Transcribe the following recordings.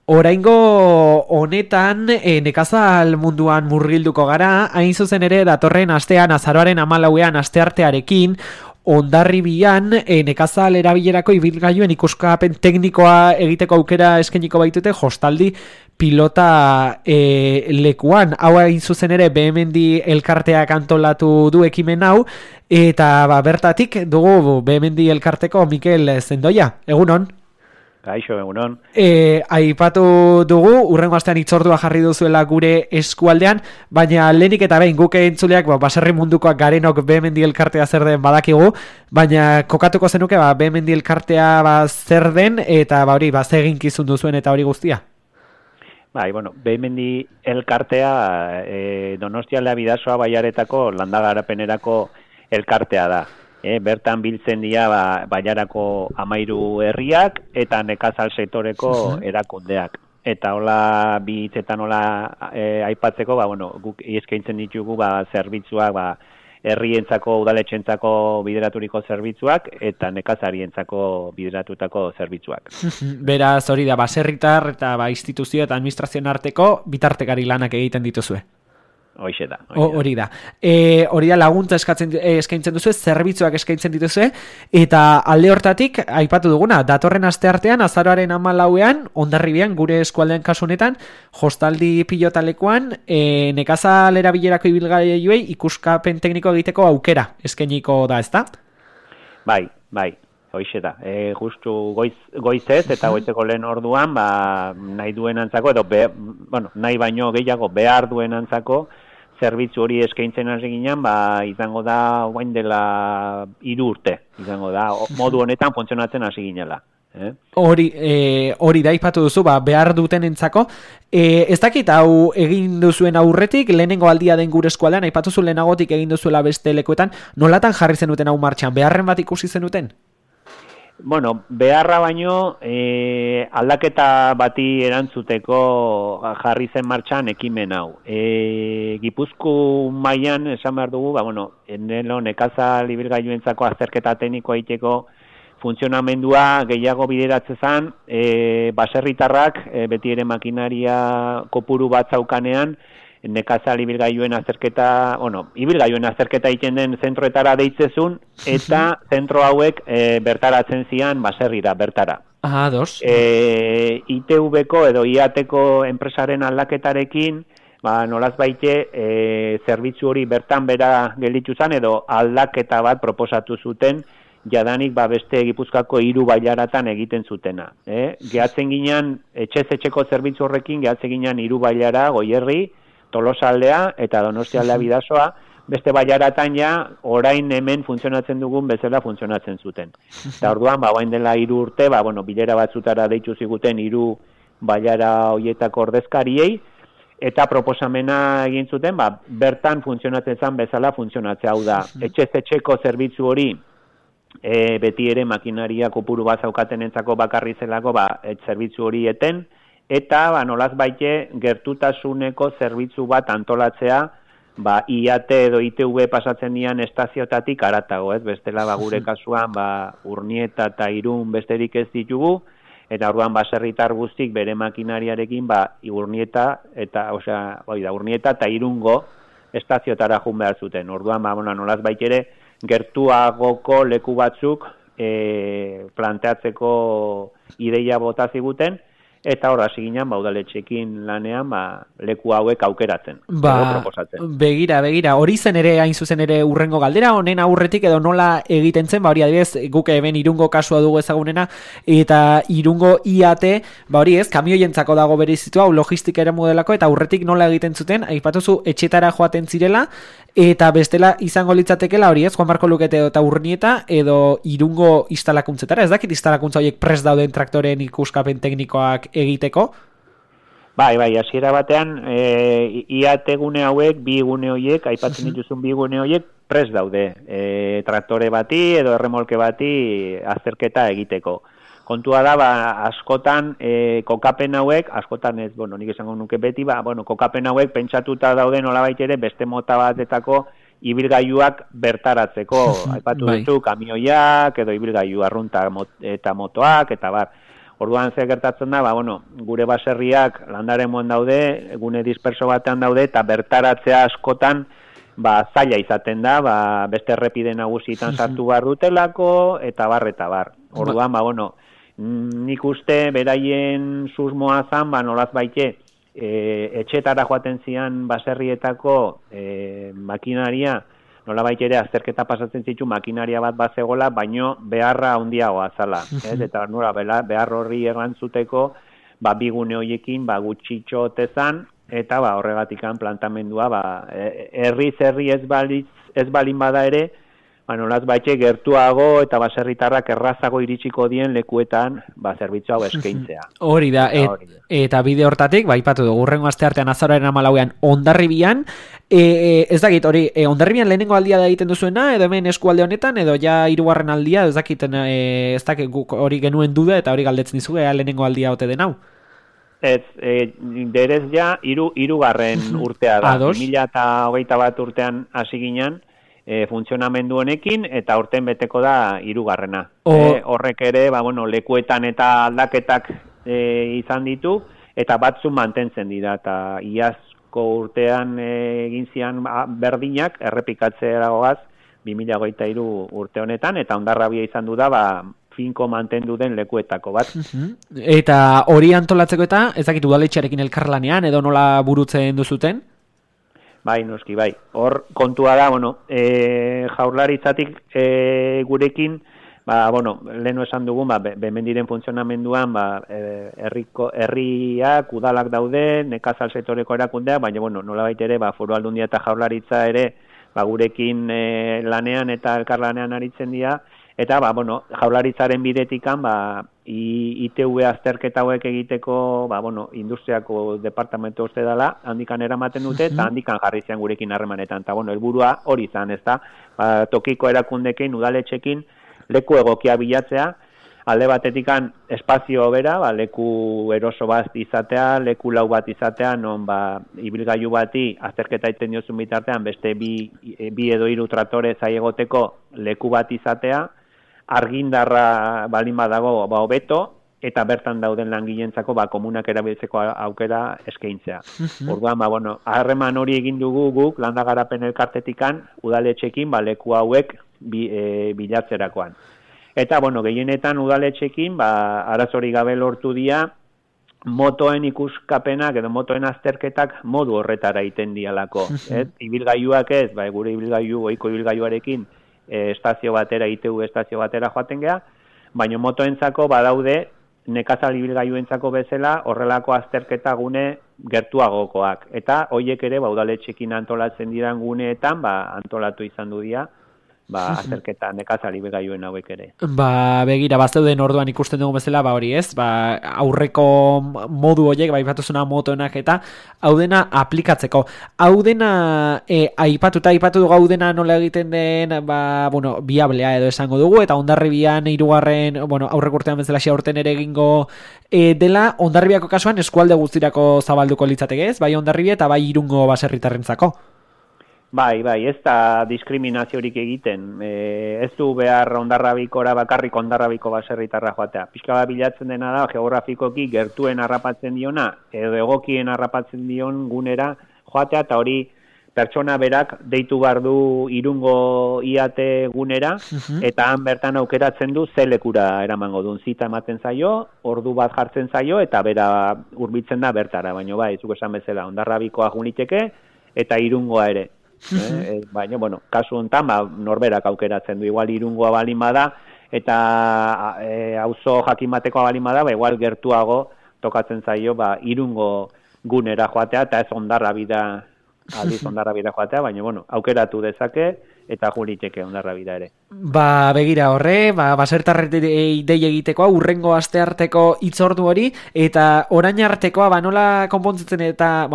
Oraingo honetan nekazal munduan murgilduko gara, hain zuzen ere datorren astean azaroaren 14ean asteartearekin Hondarribian nekazal erabilerako ibilgailuen ikuskapen teknikoa egiteko aukera eskainiko baitute Jostaldi pilota lekuan. Hau hain zuzen ere Behemendi elkarteak antolatu du ekimen hau, eta bertatik dugu Behemendi elkarteko Mikel Zendoia. Egunon? Kaixo, egunon. Aipatu dugu, urrengo astean hitzordua jarri duzuela gure eskualdean, baina lehenik eta behin guk entzuleak baserri mundukoak garenok Behemendi elkartea zer den badakigu, baina kokatuko zenuke Behemendi elkartea zer den eta hori ze eginkizun duzuen eta hori guztia? Behemendi elkartea Donostialdea Bidasoa Baiaretako landagarapenerako elkartea da. Bertan biltzen dira Baiarako 13 herriak eta nekazal sektoreko erakundeak. Eta hola bi hitzetan aipatzeko, guk eskaintzen ditugu zerbitzuak herrientzako udaletxentzako bideraturiko zerbitzuak eta nekazarientzako bideratutako zerbitzuak. Beraz hori da baserritar eta instituzio eta administrazioen arteko bitartekari lanak egiten dituzue. Hori da. Hori da laguntza eskaintzen duzu, zerbitzuak eskaintzen dituzue, eta alde hortatik, aipatu duguna, datorren asteartean, azaroaren 14ean, Hondarribian, gure eskualdean kasu honetan, Jostaldi pilotalekuan, nekazal erabilerako ibilgailuei ikuskapen tekniko egiteko aukera eskainiko da, ezta? Bai. Hoixe da, justu goizez eta goizeko lehen orduan, nahi duenantzako, edo nahi baino gehiago behar duenantzako, zerbitzu hori eskaintzen hasi ginen, izango da orain dela 3 urte, izango da, modu honetan funtzionatzen hasi ginela. Hori da aipatu duzu, behar dutenentzako. Ez dakit hau egin duzuen aurretik, lehenengo aldia den gure eskualdean, aipatu zu lehenagotik egin duzuela beste lekuetan, nolatan jarri zenuten hau martxan, beharren bat ikusi zenuten? Beharra baino aldaketa bati erantzuteko jarri zen martxan ekimen hau. Gipuzkoa mailan esan behar dugu, nekazal ibilgailuentzako azterketa teknikoa egiteko funtzionamendua gehiago bideratzen zen, baserritarrak beti ere makinaria kopuru bat zaukanean, nekazal ibilgailuen azterketa, ibilgailuen azterketa egiten den zentroetara deitzezun, eta zentro hauek bertaratzen zian baserrira, bertara. Dos. ITV-ko edo IAT-ko enpresaren aldaketarekin, nolaz baite, zerbitzu hori bertan bera gelditu zen, edo aldaketa bat proposatu zuten, jadanik beste Gipuzkoako 3 bailaratan egiten zutena. Gehatzen ginen, etxez-etxeko zerbitzu horrekin, gehatzen ginen 3 bailara, Goierri, Tolosaldea eta Donostialdea Bidasoa, beste bailaratan orain hemen funtzionatzen dugun bezala funtzionatzen zuten. Eta orduan, orain dela 3 urte, bilera batzutara deitu ziguten 3 bailara hoietako ordezkariei, eta proposamena egin zuten, bertan funtzionatzen zen bezala funtzionatzea. Hau da, etxez-etxeko zerbitzu hori, beti ere makinaria kopuru bat zaukatenentzako bakarri zelako, zerbitzu hori eten, eta nolaz baite gertutasuneko zerbitzu bat antolatzea, IAT edo ITV pasatzen dian estaziotatik aratago, bestela gure kasuan Urnieta eta Irun besterik ez ditugu, eta orduan baserritar guztik bere makinariarekin Urnieta eta Irungo estaziotara jun behar zuten. Orduan nolaz baite ere gertuagoko leku batzuk planteatzeko ideia bota ziguten, eta hor hasi ginen udaletxeekin lanean leku hauek aukeratzen. Begira, hori zen ere hain zuzen ere urrengo galdera, honen aurretik edo nola egiten zen, hori adibidez guk eben Irungo kasua dugu ezagunena, eta Irungo IAT, hori kamioientzako dago berezitua, logistika ere modelako, eta aurretik nola egiten zuten, aipatuzu etxetara joaten zirela, eta bestela izango litzatekela hori Juan Marko Lukete eta Urnieta edo Irungo instalakuntzetara, ez dakit instalakuntza horiek prest dauden traktoren ikuskapen teknikoak egiteko? Bai, hasiera batean IAT gune hauek, 2 gune horiek, aipatzen dituzun 2 gune horiek prest daude, traktore bati edo erremolke bati azterketa egiteko. Kontua da, askotan kokapen hauek, askotan ez, nik esango nuke beti, kokapen hauek pentsatuta daude nolabait ere beste mota batetako ibilgailuak bertaratzeko. Aipatu duzu, kamioiak edo ibilgailu arrunta eta motoak, eta Orduan ze gertatzen da, gure baserriak landaremoan daude, gune disperso batean daude, eta bertaratzea askotan, zaila izaten da, beste errepide nagusietan sartu behar dutelako, eta bar. Orduan, nik uste beraien susmoa zan, nolaz baite, etxetara joaten zian baserrietako makinaria, nola baita ere azterketa pasatzen zitu makinaria bat bazegola, baino beharra handiagoa zala. Eta nola behar horri errantzuteko, bigune horiekin gutxitxo tezan, eta horregatikan plantamendua, herri ez balin bada ere, nolaz baitxe gertuago eta baserritarrak errazago iritsiko dien lekuetan zerbitzu hau eskaintzea. Hori da, eta bide hortatik, aipatu dugu, hurrengo asteartean azaroaren 14an Hondarribian, ez dakit, hori, Hondarribian lehenengo aldia da egiten duzuena, edo hemen eskualde honetan, edo ja 3. aldia, ez dakit hori genuen duda, eta hori galdetzen dizu, lehenengo aldia ote den hau? Ez, derez ja, 3. urtea da, 2021 urtean hasi ginen, funtzionamendu honekin, eta urten beteko da 3. Horrek ere, lekuetan eta aldaketak izan ditu, eta batzu mantentzen dira, eta iazko urtean egin zian berdinak, errepikatzea dagoaz, 2023 urte honetan, eta Hondarribia izan du da, finko mantendu den lekuetako bat. Eta hori antolatzeko eta, ez dakit udaletxearekin elkarlanean, edo nola burutzen duzuten? Bai, noski, bai. Hor kontua da, jaurlaritzatik gurekin, lehenu esan dugun, bemendiren funtzionamenduan, herriak, udalak daude, nekazal sektoreko erakundea, baina, nola baitere, Foru Aldundia eta jaurlaritza ere, gurekin lanean eta elkarlanean aritzen dira, eta, jaurlaritzaren bidetikan, ITV azterketa hauek egiteko, industriako departamento uste dela, handikan eramaten dute, eta handikan jarri zian gurekin harremanetan. Eta, helburua hori izan, ez da, tokiko erakundekin, udaletxekin, leku egokia bilatzea, alde batetikan espazio bera, leku eroso bat izatea, leku lau bat izatea, non ibilgailu bati azterketa egiten diozun bitartean, beste bi edo 3 tratore zaiegoteko leku bat izatea, argindarra balin badago hobeto, eta bertan dauden langileentzako komunak erabiltzeko aukera eskaintzea. Orduan, harreman hori egin dugu guk landagarapen elkartetikan udaletxekin leku hauek bilatzerakoan. Eta, gehienetan udaletxekin, arazori gabe lortu dira, motoen ikuskapenak edo motoen azterketak modu horretara egiten dialako. Ibilgailuak ez, gure ohiko ibilgailuarekin estazio batera, ITV estazio batera joaten geha, baina motoentzako badaude nekazal ibilgailuentzako bezala horrelako azterketa gune gertuagokoak. Eta horiek ere udaletxekin antolatzen diran guneetan antolatu izan du dira azterketa nekazal ibilgailuen hauek ere. Begira, bazeuden orduan ikusten dugu bezala, hori ez, aurreko modu horiek, aipatuzuna motoenak eta hau dena aplikatzeko. Hau dena aipatu dugu hau dena nola egiten den, biablea edo esango dugu, eta Hondarribian 3. Aurreko urtean bezala urten ere egingo dela, Hondarribiako kasuan eskualde guztirako zabalduko litzateke ez, bai Hondarribia eta bai Irungo baserritarrentzako. Bai, ez da diskriminaziorik egiten. Ez du behar Hondarribikora bakarrik Hondarribiko baserritarra joatea. Pixka bat bilatzen dena da, geografikoki gertuen harrapatzen diona, edo egokien harrapatzen dion gunera joatea, eta hori pertsona berak deitu behar du Irungo IAT gunera, eta han bertan aukeratzen du ze lekura eramango duen. Zita ematen zaio, ordu bat jartzen zaio, eta bera hurbiltzen da bertara. Baina zuk esan bezala, Hondarribikoa juniteke, eta Irungoa ere. Baina, kasu honetan, norberak aukeratzen du, igual Irungoa balin bada, eta auzo jakin batekoa balin bada, igual gertuago tokatzen zaio, Irungo gunera joatea, eta ez Hondarribira joatea, baina, aukeratu dezake, eta juriteke Hondarribira ere. Begira horre, basertarret dei egitekoa, urrengo astearteko hitzordu hori, eta orain artekoa, nola konpontzitzen eta,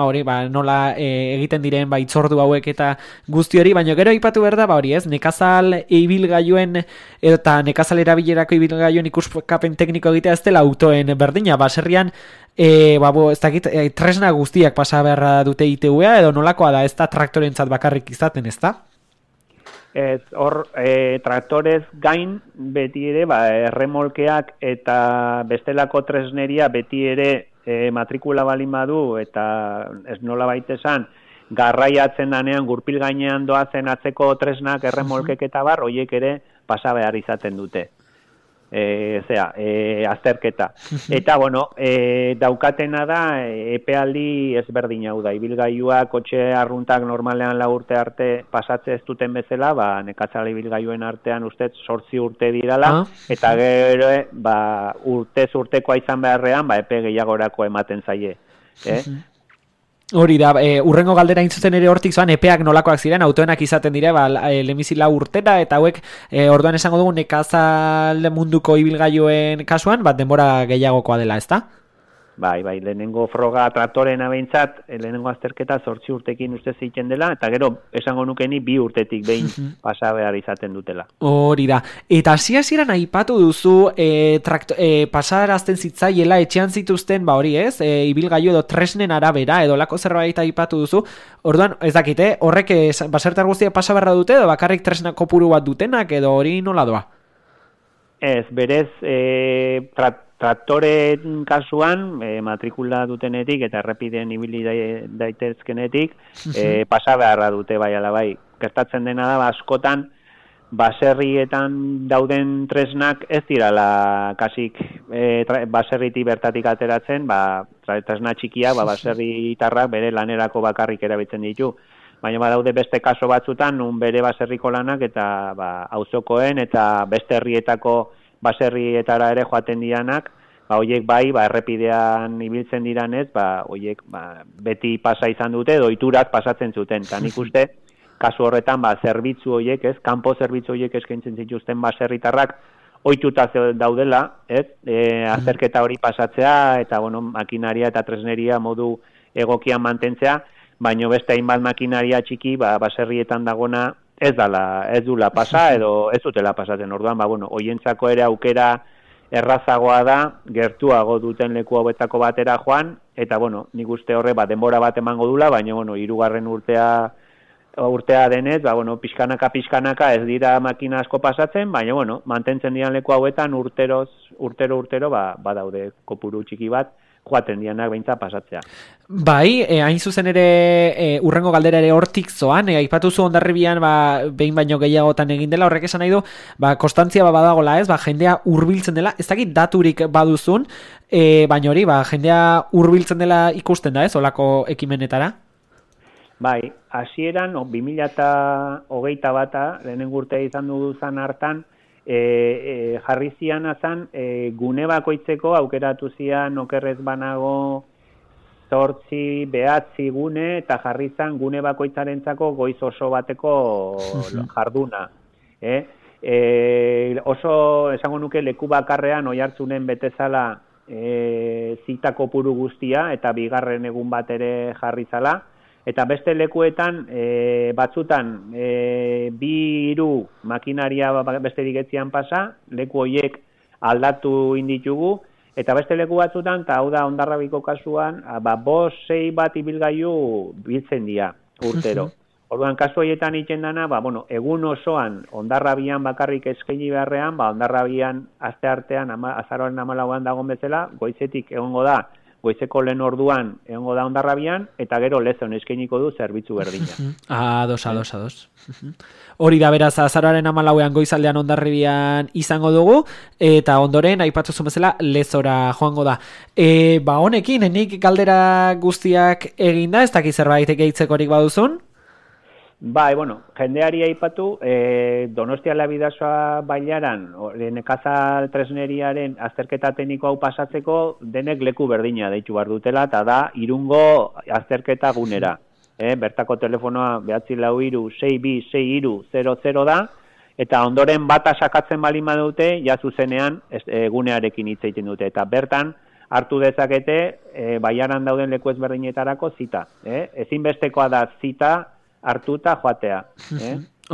nola egiten diren, hitzordu hauek eta guzti hori, baina gero aipatu behar da, hori ez, nekazal ibilgailuen, eta nekazal erabilerako ibilgailuen ikuskapen tekniko egitea ez dela autoen berdina, baserrian, ez dakit, tresna guztiak pasa beharra dute ITV-a, edo nolakoa da, ez da traktorentzat bakarrik izaten, ez da? Ez, hor, traktorez gain beti ere, erremolkeak eta bestelako tresneria beti ere matrikula balin badu eta ez nola baitesan garraiatzen danean gurpil gainean doazen atzeko tresnak erremolkek eta bar, hoiek ere pasa behar izaten dute. Azterketa. Eta, bueno, daukatena da, epealdi ezberdin hau da. Ibilgailua, kotxe arruntak normalean 4 urte arte pasatze ez duten bezala, nekatzara ibilgailuen artean ustez 8 urte dirala, eta gero, urtez urtekoa izan beharrean, epe gehiagorako ematen zaie. Hori da, urrengo galdera intzuzen ere hortik zoan, epeak nolakoak ziren, autoenak izaten dire, lemizila urtera, eta hauek, orduan esango dugu nekazal munduko ibilgailuen kasuan, denbora gehiagokoa dela, ezta? Bai, lehenengo froga traktorena behintzat, lehenengo azterketa 8 urtekin uste ziken dela, eta gero esango nukeni 2 urtetik behin pasa behar izaten dutela. Hori da. Eta hasiera aipatu duzu pasarazten zitzaiela etxean zituzten, hori ez, ibilgailu edo tresnen arabera, edo lako zerbait aipatu duzu, orduan, ez dakite, horrek basertar guztiak pasa beharra dute, edo bakarrik tresnak kopuru bat dutenak, edo hori nola doa? Ez, berez, traktoren kasuan, matrikula dutenetik eta errepideen ibili daitezkenetik, pasa beharra dute bai ala bai. Gertatzen dena da, askotan, baserrietan dauden tresnak ez dirala kasik baserriti bertatik ateratzen, tresna txikia, baserritarrak bere lanerako bakarrik erabiltzen ditu. Baina badaude beste kaso batzutan, nun bere baserriko lanak eta auzokoen eta beste herrietako baserrietara ere joaten dianak, horiek errepidean ibiltzen diranez, horiek beti pasa izan dute, doiturak pasatzen zuten. Eta nik uste, kasu horretan, zerbitzu horiek, kanpo zerbitzu horiek eskaintzen zituzten baserritarrak, ohituta daudela, azterketa hori pasatzea, eta makinaria eta tresneria modu egokian mantentzea, baino beste hainbat makinaria txiki, baserrietan dagona, ez dula pasa, edo ez dutela pasatzen. Orduan, hoientzako ere aukera errazagoa da, gertuago duten leku hauetako batera joan, eta, nik uste horre, denbora bat emango dula, baina, 3. urtea denez, pixkanaka ez dira makina asko pasatzen, baina, mantentzen dian leku hauetan urtero, badaude kopuru txiki bat, joaten dianak behintzat pasatzea. Bai, hain zuzen ere urrengo galdera ere hortik zoan, aipatu zu Hondarribian behin baino gehiagotan egin dela, horrek esan nahi du, konstantzia badagola ez, jendea hurbiltzen dela, ez dakit daturik baduzun, baina hori, jendea hurbiltzen dela ikusten da ez, olako ekimenetara? Bai, hasieran 2021 lehenengo urtea izan duzan hartan, jarri zian azan, gune bakoitzeko aukeratu zian okerrez banago 8, 9 gune, eta jarri zan gune bakoitzarentzako goiz oso bateko jarduna. Oso, esango nuke, leku bakarrean Oiartzunen betezala zita kopuru guztia, eta 2. egun bat ere jarri zala, eta beste lekuetan, batzutan, 2-3 makinaria besterik etzian pasa, leku horiek aldatu inditugu, eta beste leku batzutan, eta hau da Hondarribiko kasuan, 5-6 bat ibilgailu biltzen dira urtero. Orduan, kasu horietan iten dana, egun osoan Hondarribian bakarrik eskaini beharrean, Hondarribian aste artean, azaroaren 14an dagoen bezala, goizetik egongo da, goizeko lehen orduan egongo da Hondarribian, eta gero Lezon eskainiko du zerbitzu berdina. Ados. Hori da, beraz, azaroaren 14an goizaldean Hondarribian izango dugu, eta ondoren, aipatu zuen bezala, Lezora joango da. Honekin, nik galdera guztiak eginda, ez dakiz zerbait gehitzekorik baduzun? Bai, jendeari aipatu, Donostiala Bidasoa bailaran, nekazal tresneriaren azterketa tekniko hau pasatzeko, denek leku berdina deitu behar dutela, eta da, Irungo azterketa gunera. Bertako telefonoa 943-626300 da, eta ondoren bata sakatzen balin badute, ja zuzenean gunearekin hitz egiten dute, eta bertan, hartu dezakete, bailaran dauden leku ezberdinetarako zita. Ezinbestekoa da zita, hartuta joatea.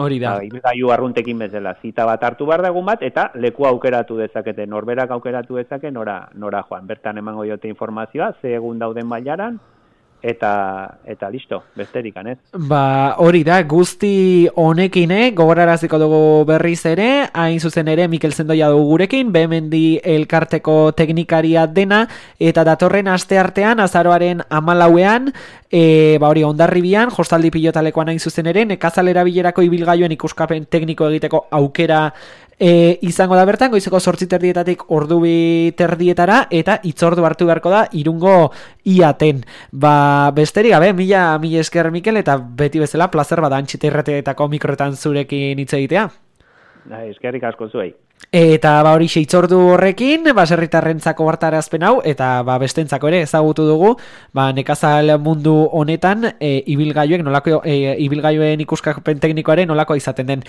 Hori da. Ibilgailu arruntekin bezala. Zita bat hartu behar dagun bat, eta leku aukeratu dezakete. Norberak aukeratu dezake nora joan. Bertan emango diote informazioa, ze egun dauden bailaran, eta listo, besterik anez. Ba, hori da, guzti honekin, gogoraraziko dugu berriz ere, hain zuzen ere Mikel Zendoia dugu gurekin, Behemendi elkarteko teknikaria dena, eta datorren asteartean, azaroaren 14ean, ba hori, Hondarribian, Jostaldi Pilotalekoan hain zuzen ere, nekazalera bilerako ibilgailuen ikuskapen tekniko egiteko aukera izango da bertan, goizeko 8:30 ordu 2:30 eta hitzordu hartu beharko da Irungo IATen. Ba, besterik gabe, mila esker Mikel, eta beti bezala plazer bada Antxeta Irratietako mikroetan zurekin hitz egitea. Eskerrik asko zuei. Eta ba hori hitzordu horrekin, baserritarrentzako hartarazpen hau, eta ba bestentzako ere ezagutu dugu, ba nekazal mundu honetan ibilgailuek nolako ibilgailuen ikuskapen teknikoaren nolakoa izaten den.